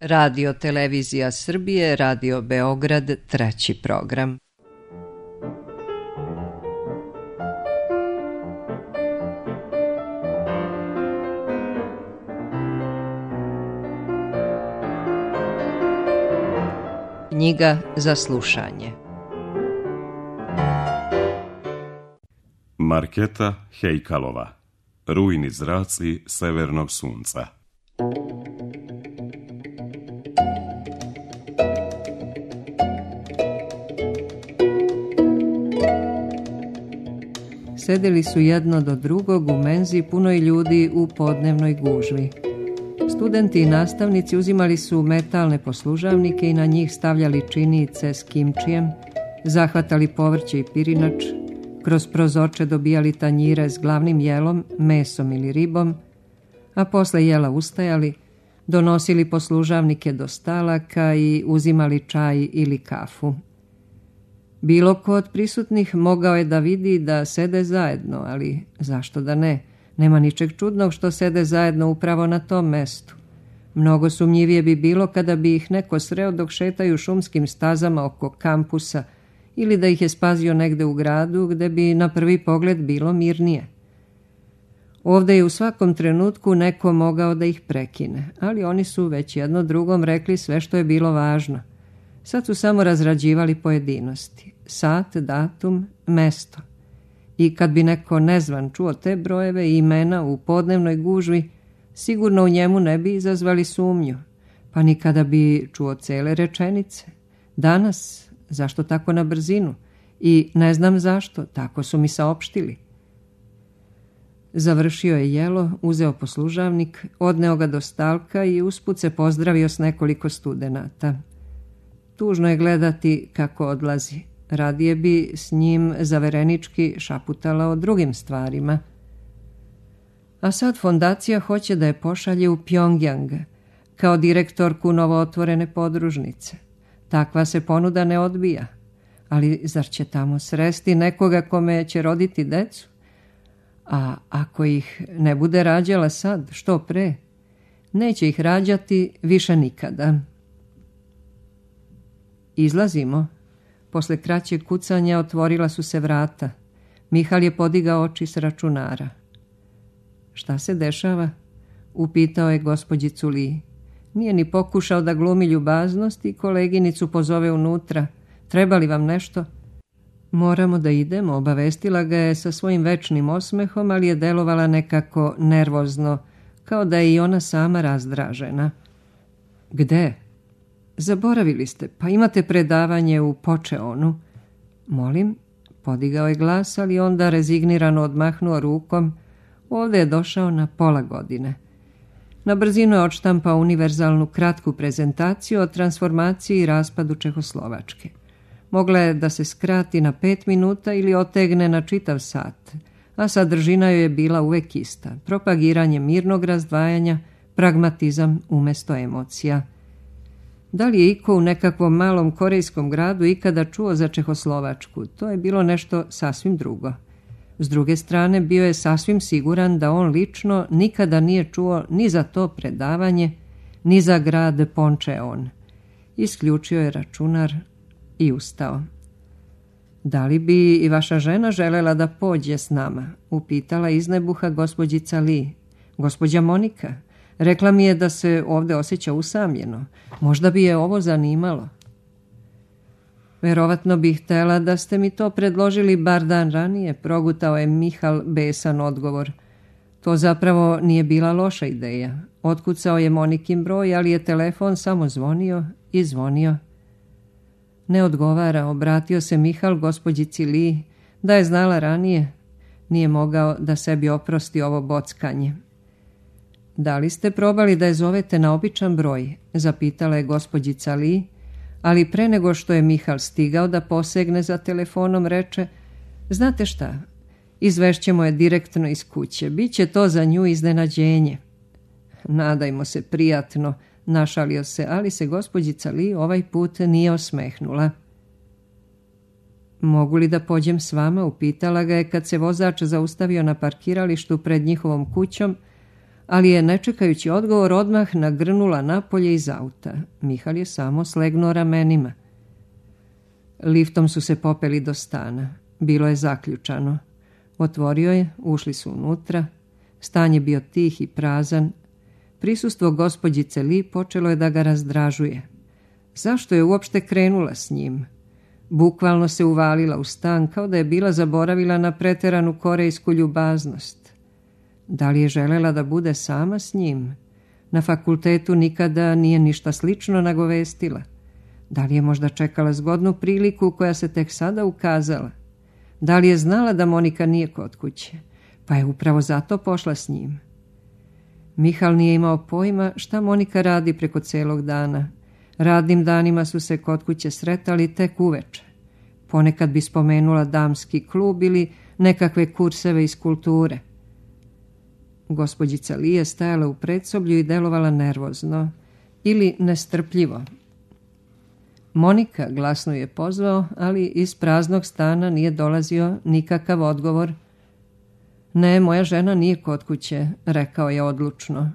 Radio Televizija Srbije, Radio Beograd, 3. program. Knjiga za slušanje. Marketa Hejkalova. Rujni zraci severnog sunca. Sedeli su jedno do drugog u menzi punoj ljudi u podnevnoj gužvi. Studenti i nastavnici uzimali su metalne poslužavnike i na njih stavljali činice s kimčijem, zahvatali povrće i pirinač, kroz prozorče dobijali tanjire s glavnim jelom, mesom ili ribom, a posle jela ustajali, donosili poslužavnike do stalaka i uzimali čaj ili kafu. Bilo ko od prisutnih mogao je da vidi da sede zajedno, ali zašto da ne? Nema ničeg čudnog što sede zajedno upravo na tom mestu. Mnogo sumnjivije bi bilo kada bi ih neko sreo dok šetaju šumskim stazama oko kampusa ili da ih je spazio negde u gradu gde bi na prvi pogled bilo mirnije. Ovde je u svakom trenutku neko mogao da ih prekine, ali oni su već jedno drugom rekli sve što je bilo važno. Sad su samo razrađivali pojedinosti, sat, datum, mesto. I kad bi neko nezvan čuo te brojeve i imena u podnevnoj gužvi, sigurno u njemu ne bi izazvali sumnju, pa ni kada bi čuo cele rečenice. Danas, zašto tako na brzinu? I ne znam zašto, tako su mi saopštili. Završio je jelo, uzeo poslužavnik, odneo ga do stalka i usput se pozdravio s nekoliko studenata. Tužno je gledati kako odlazi. Radije bi s njim zaverenički šaputala o drugim stvarima. A sad fondacija hoće da je pošalje u Pjongjang kao direktorku novootvorene podružnice. Takva se ponuda ne odbija. Ali zar će tamo sresti nekoga kome će roditi decu? A ako ih ne bude rađala sad, što pre? Neće ih rađati više nikada. Izlazimo. Posle kraćeg kucanja otvorila su se vrata. Mihal je podigao oči s računara. Šta se dešava? Upitao je gospođicu Li. Nije ni pokušao da glumi ljubaznost i koleginicu pozove unutra. Treba li vam nešto? Moramo da idemo, obavestila ga je sa svojim večnim osmehom, ali je delovala nekako nervozno, kao da je i ona sama razdražena. Gde? Zaboravili ste, pa imate predavanje u Počeonu. Molim, podigao je glas, ali onda rezignirano odmahnuo rukom. Ovde je došao na pola godine. Na brzinu je odštampao univerzalnu kratku prezentaciju o transformaciji i raspadu Čehoslovačke. Mogla je da se skrati na 5 minuta ili otegne na čitav sat, a sadržina joj je bila uvek ista. Propagiranje mirnog razdvajanja, pragmatizam umesto emocija. Da li je iko u nekakvom malom korejskom gradu ikada čuo za Čehoslovačku? To je bilo nešto sasvim drugo. S druge strane, bio je sasvim siguran da on lično nikada nije čuo ni za to predavanje, ni za grad Pončeon. Isključio je računar i ustao. Da li bi i vaša žena želela da pođe s nama? Upitala iznebuha gospođica Li. Gospođa Monika. Rekla mi je da se ovde osjeća usamljeno. Možda bi je ovo zanimalo. Verovatno bih htela da ste mi to predložili bar dan ranije, progutao je Mihal besan odgovor. To zapravo nije bila loša ideja. Otkucao je Monikin broj, ali je telefon samo zvonio i zvonio. Ne odgovara, obratio se Mihal gospođici Li. Da je znala ranije, nije mogao da sebi oprosti ovo bockanje. Da li ste probali da je zovete na običan broj? Zapitala je gospođica Li, ali pre nego što je Mihal stigao da posegne za telefonom, reče: znate šta, izvešćemo je direktno iz kuće, biće to za nju iznenađenje. Nadajmo se prijatno, našalio se, ali se gospođica Li ovaj put nije osmehnula. Mogu li da pođem s vama? Upitala ga je kad se vozač zaustavio na parkiralištu pred njihovom kućom, ali je, ne čekajući odgovor, odmah nagrnula napolje iz auta. Mihal je samo slegnuo ramenima. Liftom su se popeli do stana. Bilo je zaključano. Otvorio je, ušli su unutra. Stan je bio tih i prazan. Prisustvo gospođice Li počelo je da ga razdražuje. Zašto je uopšte krenula s njim? Bukvalno se uvalila u stan kao da je bila zaboravila na preteranu korejsku ljubaznost. Da li je želela da bude sama s njim? Na fakultetu nikada nije ništa slično nagovestila. Da li je možda čekala zgodnu priliku koja se tek sada ukazala? Da li je znala da Monika nije kod kuće, pa je upravo zato pošla s njim? Mihal nije imao pojma šta Monika radi preko celog dana. Radnim danima su se kod kuće sretali tek uveče. Ponekad bi spomenula damski klub ili nekakve kurseve iz kulture. Gospođica Li je stajala u predsoblju i delovala nervozno ili nestrpljivo. Monika glasno je pozvao, ali iz praznog stana nije dolazio nikakav odgovor. Ne, moja žena nije kod kuće, rekao je odlučno.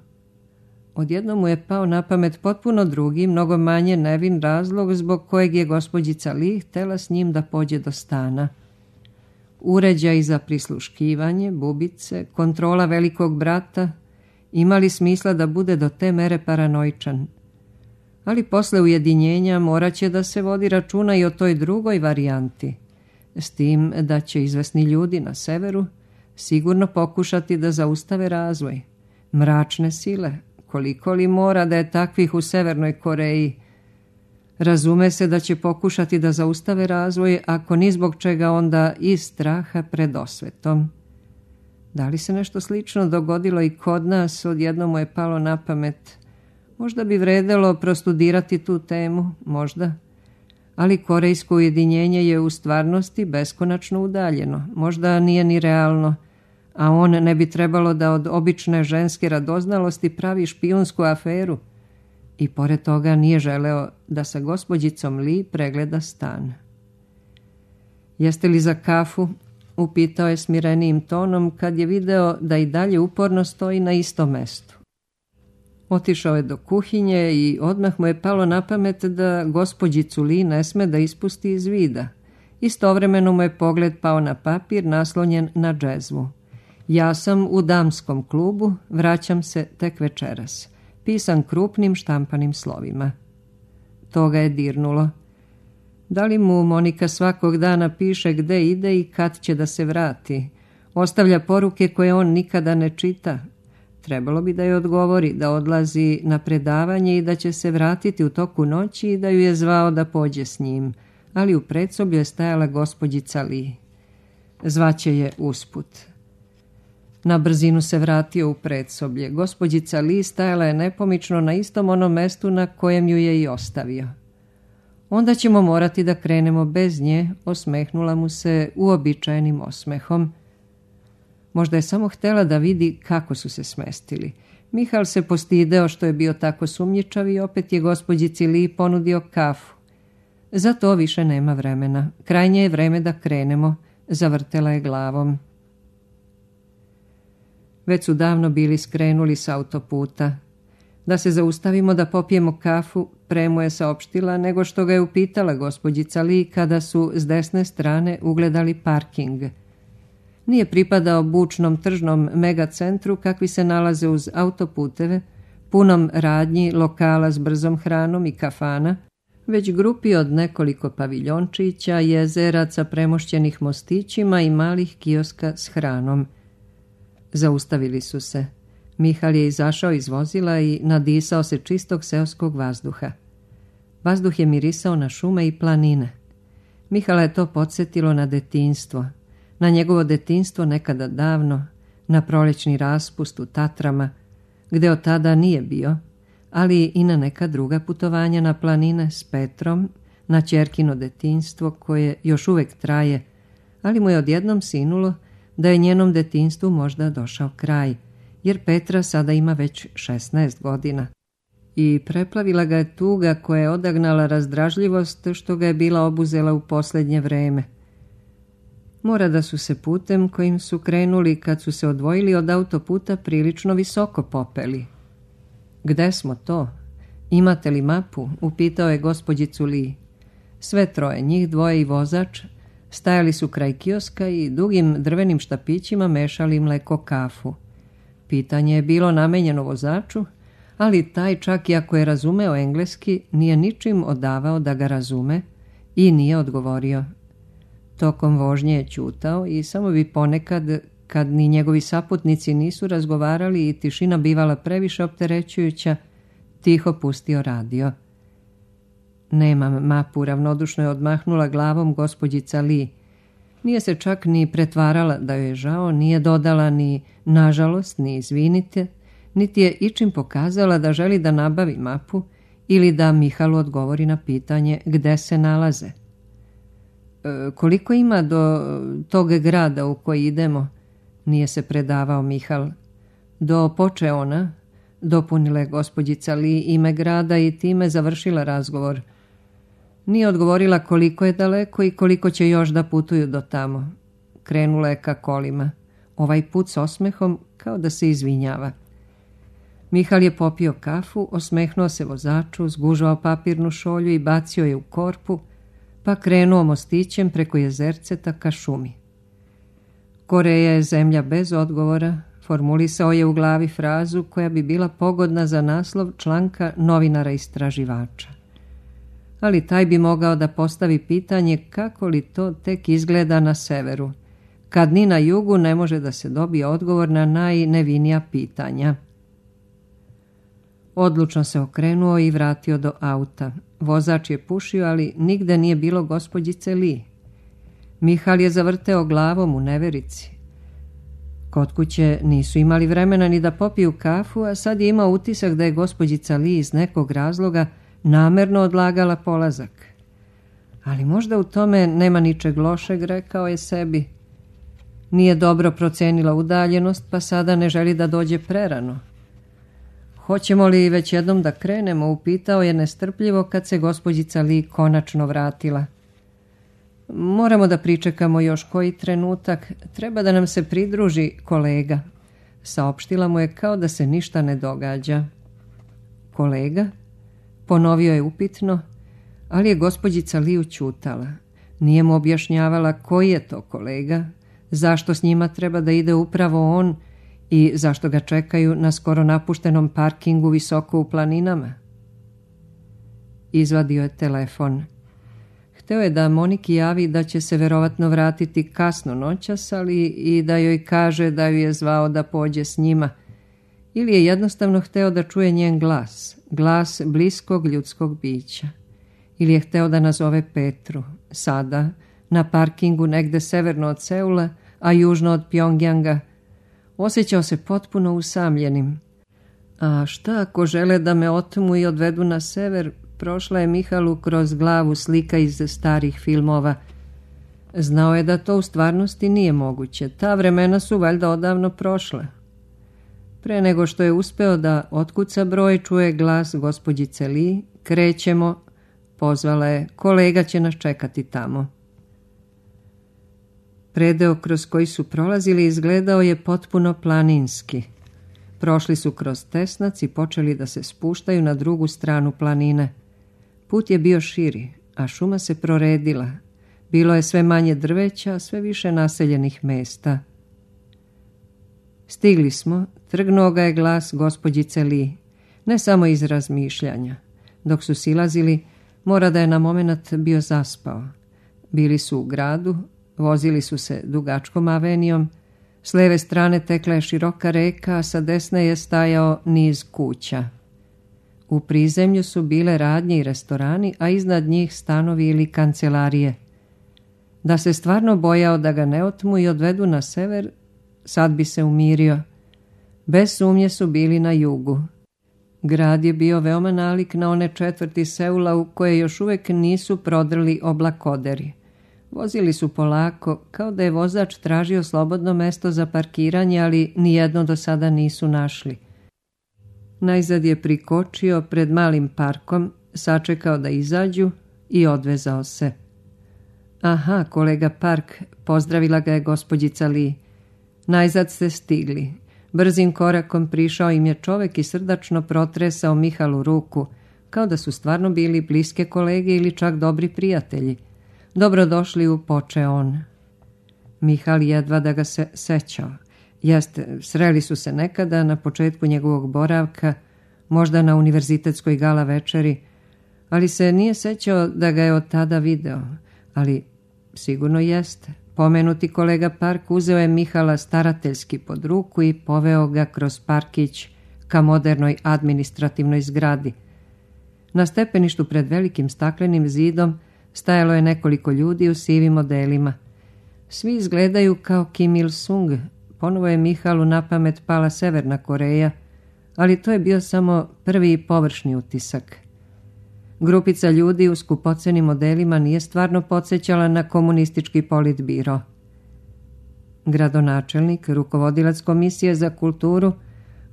Odjednom mu je pao na pamet potpuno drugi, mnogo manje nevin razlog zbog kojeg je gospođica Li htela s njim da pođe do stana. Uređaj za prisluškivanje, bubice, kontrola velikog brata imali smisla da bude do te mere paranoičan. Ali posle ujedinjenja morat će da se vodi računa i o toj drugoj varijanti, s tim da će izvesni ljudi na severu sigurno pokušati da zaustave razvoj. Mračne sile, koliko li mora da je takvih u Severnoj Koreji? Razume se da će pokušati da zaustave razvoj, ako ni zbog čega, onda iz straha pred osvetom. Da li se nešto slično dogodilo i kod nas? Odjednom mu je palo na pamet. Možda bi vredelo prostudirati tu temu, možda. Ali korejsko ujedinjenje je u stvarnosti beskonačno udaljeno. Možda nije ni realno, a on ne bi trebalo da od obične ženske radoznalosti pravi špijunsku aferu. I pored toga nije želeo da sa gospođicom Li pregleda stan. Jeste li za kafu? Upitao je smirenijim tonom kad je video da i dalje uporno stoji na istom mestu. Otišao je do kuhinje i odmah mu je palo na pamet da gospođicu Li ne sme da ispusti iz vida. Istovremeno mu je pogled pao na papir naslonjen na džezvu. Ja sam u damskom klubu, vraćam se tek večeras. Pisan krupnim štampanim slovima. To ga je dirnulo. Da li mu Monika svakog dana piše gde ide i kad će da se vrati? Ostavlja poruke koje on nikada ne čita. Trebalo bi da joj odgovori da odlazi na predavanje i da će se vratiti u toku noći i da ju je zvao da pođe s njim, ali u predsoblju je stajala gospođica Li. Zvaće je usput. Na brzinu se vratio u predsoblje. Gospođica Li stajala je nepomično na istom onom mestu na kojem ju je i ostavio. Onda ćemo morati da krenemo bez nje, osmehnula mu se uobičajenim osmehom. Možda je samo htela da vidi kako su se smestili. Mihal se postideo što je bio tako sumnjičav i opet je gospođici Li ponudio kafu. Za to više nema vremena. Krajnje je vreme da krenemo, zavrtela je glavom. Već su davno bili skrenuli s autoputa. Da se zaustavimo da popijemo kafu, pre mu je saopštila nego što ga je upitala gospođica Li kada su s desne strane ugledali parking. Nije pripadao bučnom tržnom megacentru kakvi se nalaze uz autoputeve, punom radnji, lokala s brzom hranom i kafana, već grupi od nekoliko paviljončića, jezeraca premošćenih mostićima i malih kioska s hranom. Zaustavili su se. Mihal je izašao iz vozila i nadisao se čistog seoskog vazduha. Vazduh je mirisao na šume i planine. Mihala je to podsjetilo na detinjstvo. Na njegovo detinjstvo nekada davno, na prolećni raspust u Tatrama, gde od tada nije bio, ali i na neka druga putovanja na planine s Petrom, na ćerkino detinjstvo koje još uvek traje, ali mu je odjednom sinulo da je njenom detinjstvu možda došao kraj, jer Petra sada ima već 16 godina. I preplavila ga je tuga koja je odagnala razdražljivost što ga je bila obuzela u posljednje vreme. Mora da su se putem kojim su krenuli kad su se odvojili od autoputa prilično visoko popeli. Gde smo to? Imate li mapu? Upitao je gospođicu Lee. Sve troje, njih dvoje i vozač, stajali su kraj kioska i dugim drvenim štapićima mešali mleko kafu. Pitanje je bilo namenjeno vozaču, ali taj čak i ako je razumeo engleski, nije ničim odavao da ga razume i nije odgovorio. Tokom vožnje je ćutao i samo bi ponekad, kad ni njegovi saputnici nisu razgovarali i tišina bivala previše opterećujuća, tiho pustio radio. Nemam mapu, ravnodušno je odmahnula glavom gospođica Lee. Nije se čak ni pretvarala da joj je žao, nije dodala ni nažalost, ni izvinite, niti je ičim pokazala da želi da nabavi mapu ili da Mihalu odgovori na pitanje gde se nalaze. Koliko ima do tog grada u koji idemo? Nije se predavao Mihal. Do Počeona, dopunila je gospođica Lee ime grada i time završila razgovor. Nije odgovorila koliko je daleko i koliko će još da putuju do tamo. Krenula je ka kolima. Ovaj put s osmehom kao da se izvinjava. Mihal je popio kafu, osmehnuo se vozaču, zgužao papirnu šolju i bacio je u korpu, pa krenuo mostićem preko jezerceta ka šumi. Koreja je zemlja bez odgovora, formulisao je u glavi frazu koja bi bila pogodna za naslov članka novinara istraživača. Ali taj bi mogao da postavi pitanje kako li to tek izgleda na severu, kad ni na jugu ne može da se dobije odgovor na najnevinija pitanja. Odlučno se okrenuo i vratio do auta. Vozač je pušio, ali nigde nije bilo gospođice Lee. Mihal je zavrteo glavom u neverici. Kod kuće nisu imali vremena ni da popiju kafu, a sad je imao utisak da je gospođica Lee iz nekog razloga namerno odlagala polazak. Ali možda u tome nema ničeg lošeg, rekao je sebi. Nije dobro procenila udaljenost, pa sada ne želi da dođe prerano. Hoćemo li već jednom da krenemo, upitao je nestrpljivo kad se gospođica Lee konačno vratila. Moramo da pričekamo još koji trenutak, treba da nam se pridruži kolega. Saopštila mu je kao da se ništa ne događa. Kolega? Ponovio je upitno, ali je gospođica Lee ućutala. Nije mu objašnjavala koji je to kolega, zašto s njima treba da ide upravo on i zašto ga čekaju na skoro napuštenom parkingu visoko u planinama. Izvadio je telefon. Hteo je da Moniki javi da će se verovatno vratiti kasno noćas, ali i da joj kaže da ju je zvao da pođe s njima. Ili je jednostavno hteo da čuje njen glas, glas bliskog ljudskog bića. Ili je hteo da nazove Petru, sada, na parkingu negde severno od Seula, a južno od Pjongjanga. Osjećao se potpuno usamljenim. A šta ako žele da me otmu i odvedu na sever? Prošla je Mihalu kroz glavu slika iz starih filmova. Znao je da to u stvarnosti nije moguće. Ta vremena su valjda odavno prošla. Pre nego što je uspeo da otkuca broj, čuje glas gospođice Lee. Krećemo, pozvala je, kolega će nas čekati tamo. Predeo kroz koji su prolazili izgledao je potpuno planinski. Prošli su kroz Tesnac i počeli da se spuštaju na drugu stranu planine. Put je bio širi, a šuma se proredila. Bilo je sve manje drveća, sve više naseljenih mesta. Stigli smo, trgnuo ga je glas gospođice Lee, ne samo iz razmišljanja. Dok su silazili, mora da je na momenat bio zaspao. Bili su u gradu, vozili su se dugačkom avenijom, s leve strane tekla je široka reka, a sa desne je stajao niz kuća. U prizemlju su bile radnje i restorani, a iznad njih stanovi ili kancelarije. Da se stvarno bojao da ga ne otmu i odvedu na sever, sad bi se umirio. Bez sumnje su bili na jugu. Grad je bio veoma nalik na one četvrti Seula u koje još uvek nisu prodrli oblakoderi. Vozili su polako, kao da je vozač tražio slobodno mesto za parkiranje, ali nijedno do sada nisu našli. Najzad je prikočio pred malim parkom, sačekao da izađu i odvezao se. Aha, kolega Park, pozdravila ga je gospođica Lee. Najzad ste stigli. Brzim korakom prišao im je čovek i srdačno protresao Mihalu ruku, kao da su stvarno bili bliske kolege ili čak dobri prijatelji. Dobrodošli, upoče on. Mihal jedva da ga se sećao. Jeste, sreli su se nekada na početku njegovog boravka, možda na univerzitetskoj gala večeri, ali se nije sećao da ga je od tada video. Ali sigurno jeste. Pomenuti kolega Park uzeo je Mihala starateljski pod ruku i poveo ga kroz parkić ka modernoj administrativnoj zgradi. Na stepeništu pred velikim staklenim zidom stajalo je nekoliko ljudi u sivim odelima. Svi izgledaju kao Kim Il-sung. Ponovo je Mihalu na pamet pala Severna Koreja, ali to je bio samo prvi i površni utisak. Grupica ljudi u skupocenim modelima nije stvarno podsjećala na komunistički politbiro. Gradonačelnik, rukovodilac Komisije za kulturu,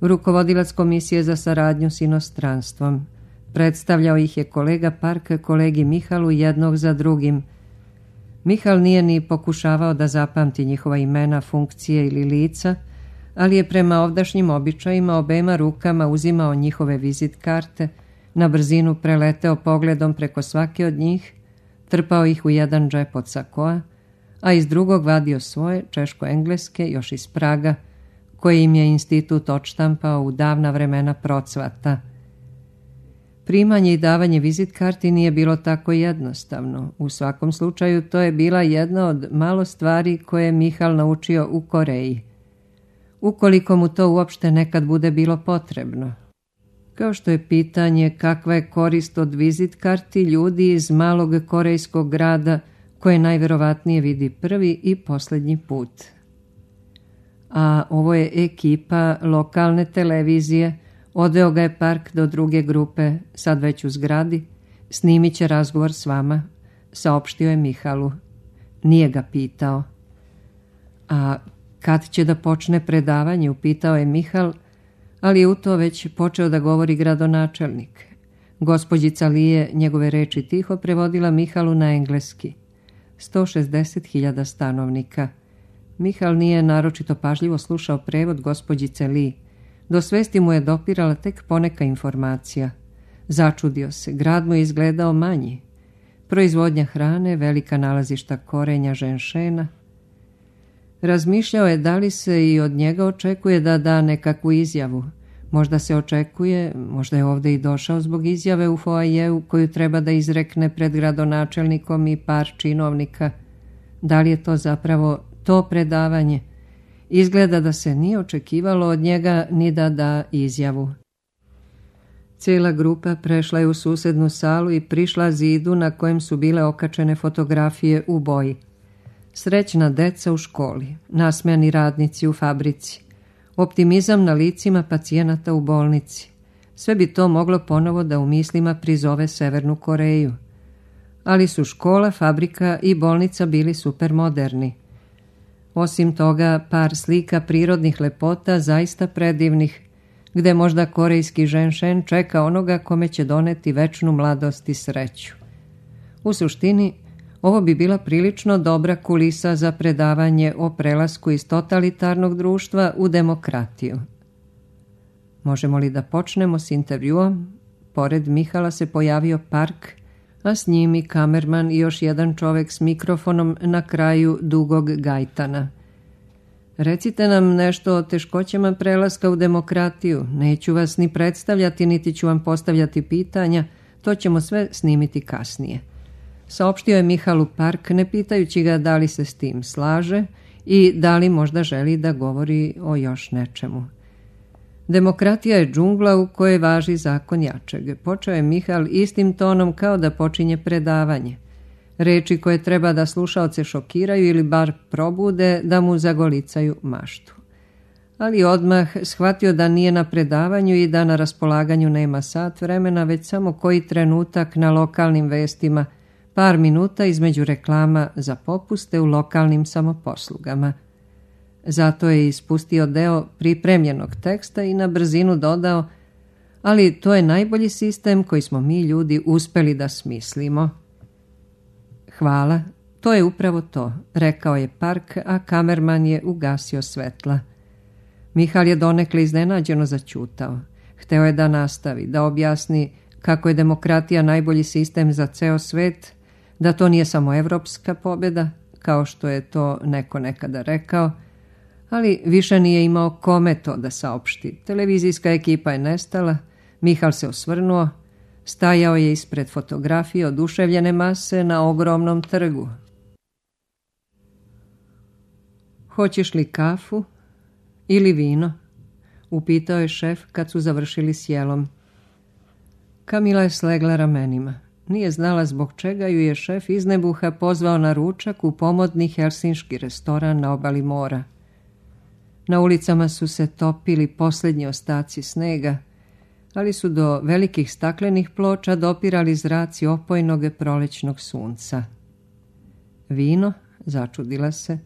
rukovodilac Komisije za saradnju s inostranstvom. Predstavljao ih je kolega Park kolegi Mihalu jednog za drugim. Mihal nije ni pokušavao da zapamti njihova imena, funkcije ili lica, ali je prema ovdašnjim običajima obema rukama uzimao njihove vizit karte, na brzinu preleteo pogledom preko svake od njih, trpao ih u jedan džep od sakoa, a iz drugog vadio svoje, češko-engleske, još iz Praga, koje im je institut odštampao u davna vremena procvata. Primanje i davanje vizit karti nije bilo tako jednostavno. U svakom slučaju to je bila jedna od malo stvari koje je Mihal naučio u Koreji. Ukoliko mu to uopšte nekad bude bilo potrebno. Kao što je pitanje kakva je korist od vizit karti ljudi iz malog korejskog grada koje najverovatnije vidi prvi i posljednji put. A ovo je ekipa lokalne televizije. Odveo ga je Park do druge grupe, sad već u zgradi. Snimit će razgovor s vama, saopštio je Mihalu. Nije ga pitao. A kad će da počne predavanje, upitao je Mihal, ali je u to već počeo da govori gradonačelnik. Gospođica Lije njegove reči tiho prevodila Mihalu na engleski. 160.000 stanovnika. Mihal nije naročito pažljivo slušao prevod gospođice Lee. Do svesti mu je dopirala tek poneka informacija. Začudio se, grad mu je izgledao manji. Proizvodnja hrane, velika nalazišta korenja ženšena. Razmišljao je da li se i od njega očekuje da da nekakvu izjavu. Možda se očekuje, možda je ovdje i došao zbog izjave u foajeu koju treba da izrekne pred gradonačelnikom i par činovnika. Da li je to zapravo to predavanje? Izgleda da se nije očekivalo od njega ni da da izjavu. Cijela grupa prešla je u susednu salu i prišla zidu na kojem su bile okačene fotografije u boji. Srećna deca u školi, nasmejani radnici u fabrici, optimizam na licima pacijenata u bolnici. Sve bi to moglo ponovo da u mislima prizove Severnu Koreju. Ali su škola, fabrika i bolnica bili supermoderni. Osim toga, par slika prirodnih lepota zaista predivnih, gde možda korejski ženšen čeka onoga kome će doneti večnu mladost i sreću. U suštini, ovo bi bila prilično dobra kulisa za predavanje o prelasku iz totalitarnog društva u demokratiju. Možemo li da počnemo s intervjuom? Pored Mihala se pojavio Park, a s njim i kamerman i još jedan čovek s mikrofonom na kraju dugog gajtana. Recite nam nešto o teškoćama prelaska u demokratiju. Neću vas ni predstavljati, niti ću vam postavljati pitanja, to ćemo sve snimiti kasnije. Saopštio je Mihalu Park, ne pitajući ga da li se s tim slaže i da li možda želi da govori o još nečemu. Demokratija je džungla u kojoj važi zakon jačeg. Počeo je Mihal istim tonom kao da počinje predavanje. Reči koje treba da slušaoce šokiraju ili bar probude da mu zagolicaju maštu. Ali odmah shvatio da nije na predavanju i da na raspolaganju nema sat vremena, već samo koji trenutak na lokalnim vestima, par minuta između reklama za popuste u lokalnim samoposlugama. Zato je ispustio deo pripremljenog teksta i na brzinu dodao, ali to je najbolji sistem koji smo mi ljudi uspeli da smislimo. Hvala, To je upravo to, rekao je Park, a kamerman je ugasio svetla. Mihal je donekle iznenađeno zaćutao. Hteo je da nastavi, da objasni kako je demokratija najbolji sistem za ceo svet, da to nije samo evropska pobjeda, kao što je to neko nekada rekao, ali više nije imao kome to da saopšti. Televizijska ekipa je nestala, Mihal se osvrnuo, stajao je ispred fotografije oduševljene mase na ogromnom trgu. Hoćeš li kafu ili vino? Upitao je šef kad su završili s jelom. Kamila je slegla ramenima. Nije znala zbog čega ju je šef iz nebuha pozvao na ručak u pomodni helsinški restoran na obali mora. Na ulicama su se topili posljednji ostaci snega, ali su do velikih staklenih ploča dopirali zraci opojnog prolećnog sunca. Vino? Začudila se.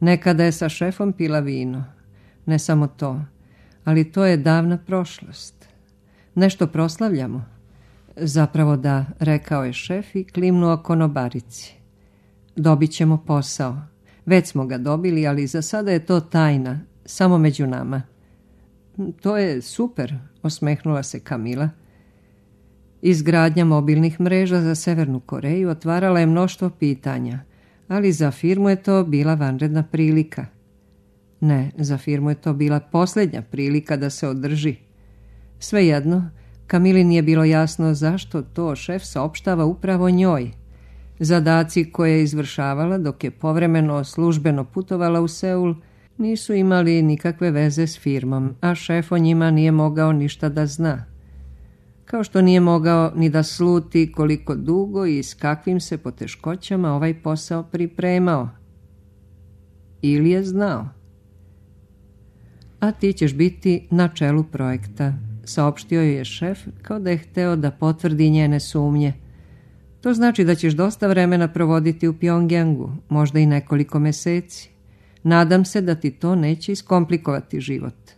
Nekada je sa šefom pila vino. Ne samo to, ali to je davna prošlost. Nešto proslavljamo. Zapravo da, rekao je šef i klimnuo konobarici. Dobit ćemo posao. Već smo ga dobili, ali za sada je to tajna, samo među nama. To je super, osmehnula se Kamila. Izgradnja mobilnih mreža za Severnu Koreju otvarala je mnoštvo pitanja, ali za firmu je to bila vanredna prilika. Ne, za firmu je to bila posljednja prilika da se održi. Svejedno, Kamili nije bilo jasno zašto to šef saopštava upravo njoj. Zadaci koje je izvršavala dok je povremeno službeno putovala u Seul nisu imali nikakve veze s firmom, a šef o njima nije mogao ništa da zna. Kao što nije mogao ni da sluti koliko dugo i s kakvim se poteškoćama ovaj posao pripremao. Ili je znao. A ti ćeš biti na čelu projekta, saopštio je šef kao da je hteo da potvrdi njene sumnje. To znači da ćeš dosta vremena provoditi u Pjongjangu, možda i nekoliko meseci. Nadam se da ti to neće iskomplikovati život.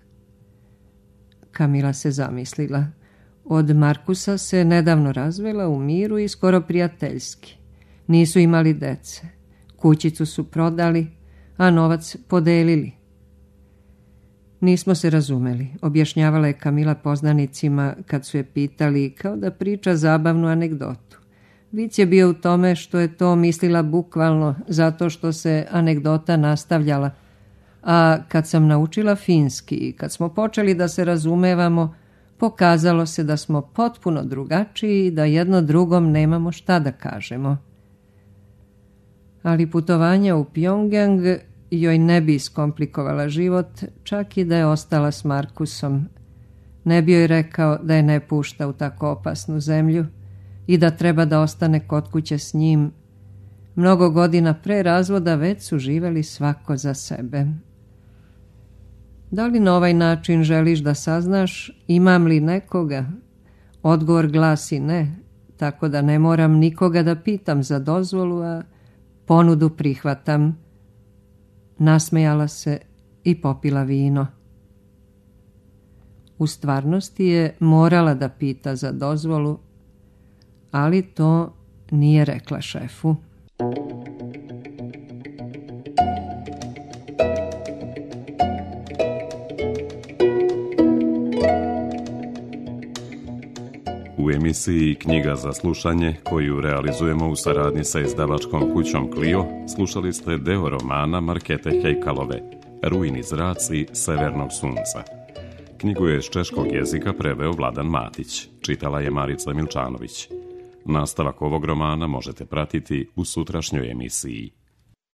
Kamila se zamislila. Od Markusa se nedavno razvela u miru i skoro prijateljski. Nisu imali dece. Kućicu su prodali, a novac podelili. Nismo se razumeli, objašnjavala je Kamila poznanicima kad su je pitali kao da priča zabavnu anegdotu. Vic je bio u tome što je to mislila bukvalno zato što se anegdota nastavljala. A kad sam naučila finski i kad smo počeli da se razumevamo, pokazalo se da smo potpuno drugačiji i da jedno drugom nemamo šta da kažemo. Ali putovanja u Pjongjang joj ne bi iskomplikovala život, čak i da je ostala s Markusom. Ne bi joj rekao da je ne pušta u tako opasnu zemlju i da treba da ostane kod kuće s njim. Mnogo godina pre razvoda već su živeli svako za sebe. Da li na ovaj način želiš da saznaš imam li nekoga? Odgovor glasi ne, tako da ne moram nikoga da pitam za dozvolu, a ponudu prihvatam. Nasmejala se i popila vino. U stvarnosti je morala da pita za dozvolu, ali to nije rekla šefu. U emisiji Knjiga za slušanje, koju realizujemo u saradnji sa izdavačkom kućom Clio, slušali ste deo romana Markete Hejkalove, Rujni zraci severnog sunca. Knjigu je s češkog jezika preveo Vladan Matić, čitala je Marica Milčanović. Nastavak ovog romana možete pratiti u sutrašnjoj emisiji.